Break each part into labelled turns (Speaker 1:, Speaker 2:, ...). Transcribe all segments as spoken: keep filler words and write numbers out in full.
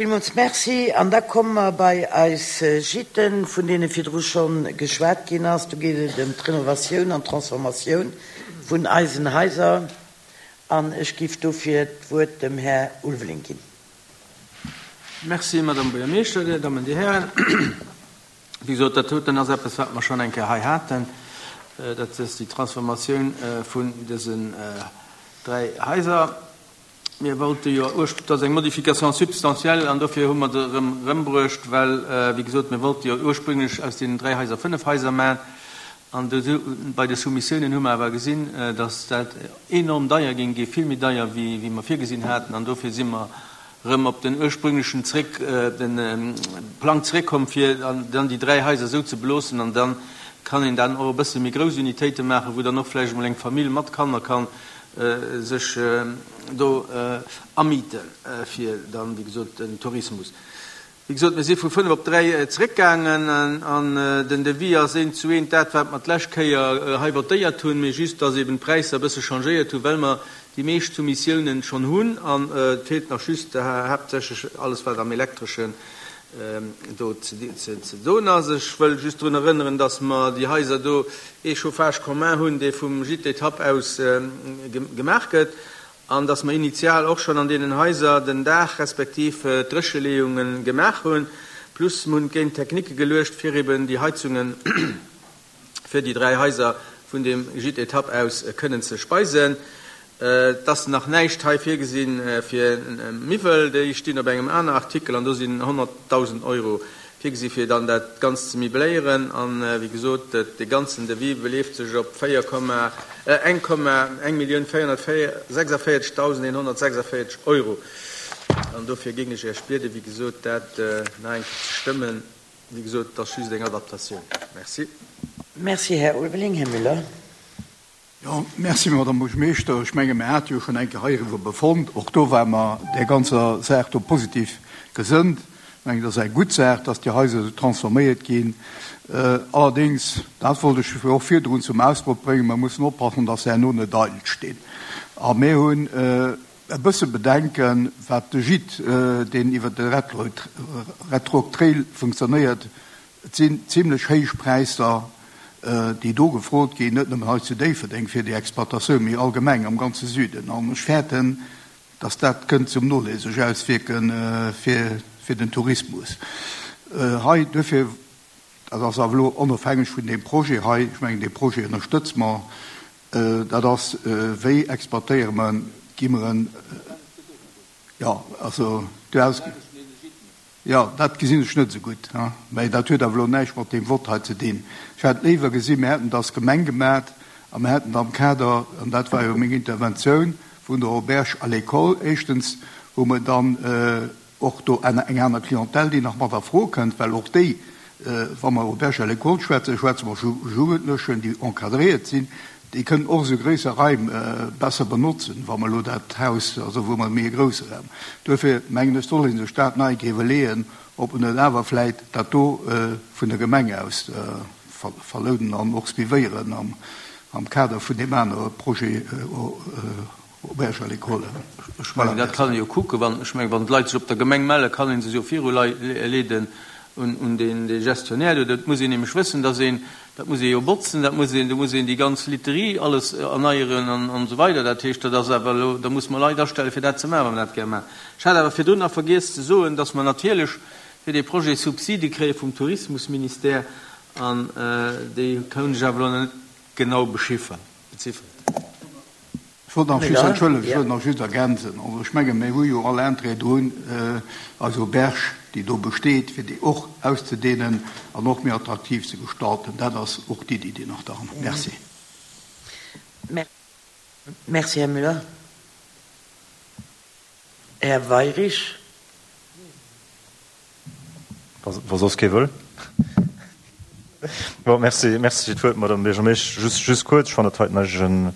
Speaker 1: Villmools Merci. An da komme mer bei eis Gîten, vun deene virdru scho geschwat ginn ass. Do geet et ëm d'Renovatioun an d'Transformatioun vun eisen Haiser. An ech giff dofir d'Wuert dem Här Ulveling ginn.
Speaker 2: Merci, Madame Buergermeeschter, Dir Dammen, Dir Hären. Wéi gesot, dat doten ass eppes, wat mer schonn eng Kéier hei haten. Dat ass déi Transformatioun vun dësen dräi Haiser. Mir wollte jo urspr-, dat ass eng Modification substantielle an dofir hu mer se erëm erëmbruecht, well, wéi gesot, mir wollte jo ursprünglech aus deenen dräi Haiser fënnef Haiser maachen. An do bei de Soumissiounen hu mer awer gesinn, dass dat enorm deier géing ginn, vill méi deier wéi wéi mer virgesinn haten. An dofir si mer erëm op den ursprünglechen zréck, den Plang zréckkomm, fir dann déi dräi Haiser esou ze beloossen. An dann kann een dann och e bësse méi grouss Unitéite maachen, wou dann och vläicht emol eng Famill mat Kanner kann sech do amieten, fir dann, wéi gesot, den Tourismus. Wéi gesot, mir si vu fënnef op dräi zeréckgaangen an den Devis ass eent zu eent dat, wat mer d'lescht Kéier hei votéiert hunn, mee just, dass eben d'Präisser e bësse changéiert hunn, well mer déi meescht Soumissiounen schonn hunn an et feelt nach just haaptsächlech alles, wat am Elektreschen do ze doen ass. Ech wëll just drun erënneren, dass mer déi Haiser do ee Chauffage commun hunn, dee vum Gîte Étape aus gemaach gëtt, an dass mer initial och schonn an deenen Haiser den Daach respektiv d'Drécheleeunge gemaach hunn, plus mer hunn géint Technique geluecht, fir eben déi Heizunge fir déi dräi Haiser vun deem Gîte Étape aus kënnen ze speisen. Et ass nach näischt hei virgesi fir Miwwel, déi stinn op engem aner Artikel an do sinn honnertdausend Euro virgesi fir dann dat Ganzt ze mibléieren. An, wéi gesot, dee ganzen Devis beleeft sech op véier Komma, eng Komma, eng Millioun véierhunnertsechsundvéierzegdausend eenhonnertsechsundvéierzeg Euro. An dofir géing ech Iech bieden, wéi gesot, dat nach eng Kéier ze stëmmen. Wéi gesot, et ass just eng Adaptatioun. Merci.
Speaker 1: Merci, Här Ulveling. Här Müller.
Speaker 3: Jo, merci, Madame Buergermeeschter. Ech menge mir hate jo schonn eng Kéier heiriwwer befonnt. Och do ware mer där ganzer Saach do positiv gesënnt. Ech mengen, dat ass eng gutt Saach, dass déi Haiser esou transforméiert ginn. Allerdéngs, dat wollt ech och virdrun zum Ausdrock bréngen, mer mussen oppassen, dass se herno net eidel stinn. A mir hunn e bësse Bedenken, wat de Gîte, deen iwwer de Red Rock Trail funktionéiert, et sinn zimlech héich Präisser, déi do gefrot ginn, net nëmmen hei zu Déifferdeng fir déi Exploitatioun, mee allgemeng am ganze Süden. An ech fäerten, dass dat kënnt zum Nodeel sech auswierke fir, fir den Tourismus hei. Duerfir, dat ass awer elo onofhängeg vun deem Projet hei, ech mengen, dee Projet ënnerstëtze mer, dat ass, wéi exploitéiere mer, gi mer en, jo, also du has. Jo, dat gesinn ech net esou gutt, mä dat huet awer elo näischt mat deem Vott hei ze dinn. Ech hätt léiwer gesinn, mir hätten dat als Gemeng gemat a mir hätten am Kader, an dat war jo meng Interventioun, vun der Auberge à l'école, éischtens hu mer dann och do eng aner Clientèle, déi nach mat a Fro kënnt, well och déi, wa mer Auberge à l'école schwätzen, schwätze mer vu Jugendlechen, déi encadréiert sinn, déi kënnen och esou gréisser Raim besser benotzen, wa mer elo dat Haus, also wou mer méi e grousse Raum. Duerfir mengen ech, soll ee sech dat nei iwwerleeën, ob en net awer vläit dat do vun der Gemeng aus verlounen an och suivéieren am Kader vun deem anere Projet Auberge à l'école.
Speaker 2: Ech mengen, dat kann ee jo kucken. Wann, ech mengen, wann d'Leit sech op der Gemeng mellen, kann ee se jo viruleeden un dee Gestionnaire do. Dat muss een nämlech wëssen, dass een, dat muss ee jo botzen, dat muss een, do muss een déi ganz Literie alles erneieren an esou weider. Dat heescht, dat ass awer elo, da muss mer Leit astellen, fir dat ze maachen, wa mer dat gär maachen. Ech hat awer virdrun nach vergiess ze soen, dass mer natierlech fir dee Projet Subside kréie vum Tourismusministère an déi hunn ech awer elo nach net genau bechiffert, beziffert.
Speaker 3: Ech wollt nach just, entschëllegt, ech wollt nach just ergänzen, also ech menge mir hu jo all Intérêt drun, eis Auberge, déi do besteet, fir déi och auszudehnen an och méi attraktiv ze gestalten. Dat ass och d'Iddi, déi nach dran. Merci.
Speaker 1: Merci, Här Müller. Här Weirich.
Speaker 4: Wa soss kee wëll. Bon, merci, merci fir d'Wuert, Madame Buergermeesch. Just, just kuerz, ech fannen dat heiten eigentlech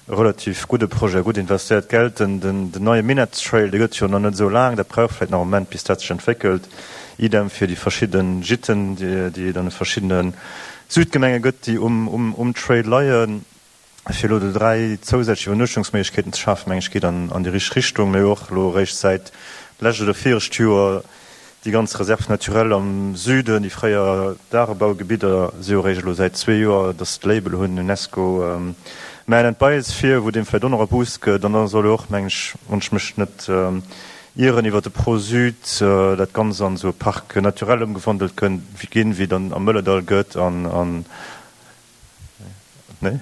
Speaker 4: e relativ gudde Projet, gutt investéiert Geld. Den, den, den neie Minett-Trail, dee gëtt jo nach net esou laang, dat brauch vläicht nach e Moment, bis dat sech entwéckelt. Idem fir déi verschidde Gîten, déi, déi et an de verschiddene Südgemenge gëtt, déi um, um, um Trail leien. Fir elo do dräi zousätzlech Iwwernuechtungsméiglechkeeten ze schafen, meng ech, geet an, an déi richteg Richtung. Mir hu och elo eréischt säit d'lescht oder virecht Joer déi ganz Réserve naturelle am Süden, déi fréier Dagebaugebidder, si jo eréischt elo säit zwee Joer, datt se d'Label hunn, UNESCO Man and Biosphere, wou deem vläicht och nach e Boost gëtt. An da soll jo och, meng ech, wann ech mech net ieren, iwwer de Pro-Sud dat Ganzt an esou e Parc naturel ëmgewandelt ginn, wéi et am Mëllerdall gëtt an, an, nee?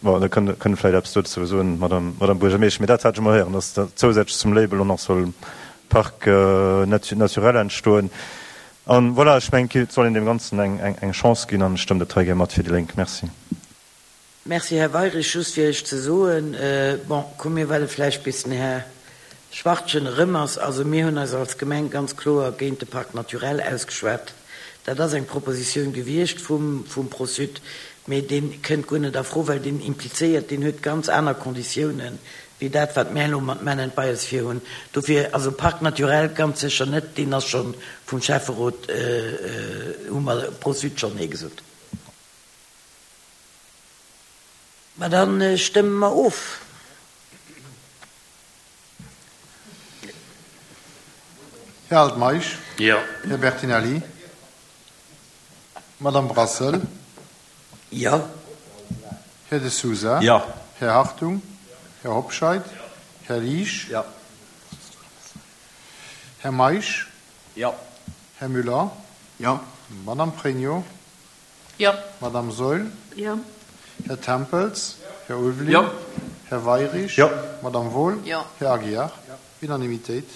Speaker 4: Bon, da kënnt Der vläicht eppes dozou soen, Madame, Madame Buergermeeschtesch. Mee dat hat ech emol héieren, dass da zousätzlech zum Label och nach soll e Parc naturel entstoen. An voilà, ech mengen, et soll een deem Ganzen eng, eng, eng Chance ginn an ech stëmmen dat hei gär mat fir déi Lénk. Merci.
Speaker 1: Merci, Här Weirich. Just fir Iech ze soen, bon, komm mir waarde vläicht bis den Här Schwachtgen erëm ass. Also mir hunn eis als Gemeng ganz kloer géint de Parc naturel ausgeschwat. Dat ass eng Propositioun gewiescht vum, vum Pro-Sud, mee dee kënnt guer net a Fro, well deen implizéiert, deen huet ganz aner Konditiounen wéi dat, wat mär elo mat Men and Biosphere hunn. Dofir, also Parc naturel ganz sécher net, deen ass scho vum Schäfferot, hu mer Pro-Sud schonn Nee gesot. Ma da stëmme mer of.
Speaker 5: Här Altmeisch. Jo. Här Bertinelli. Madame Brassel.
Speaker 1: Jo.
Speaker 5: Här De Sousa.
Speaker 2: Jo.
Speaker 5: Här Hartung. Här Hobscheit. Här Liesch.
Speaker 2: Jo.
Speaker 5: Här Meisch.
Speaker 2: Jo.
Speaker 5: Här Müller.
Speaker 3: Jo.
Speaker 5: Madame Pregno.
Speaker 6: Jo.
Speaker 5: Madame Saeul.
Speaker 6: Jo.
Speaker 5: Här Tempels. Här Ulveling.
Speaker 2: Jo.
Speaker 5: Här Weirich.
Speaker 4: Jo.
Speaker 5: Madame Wohl.
Speaker 6: Jo.
Speaker 5: Här Aguiar. Jo. Unanimitéit.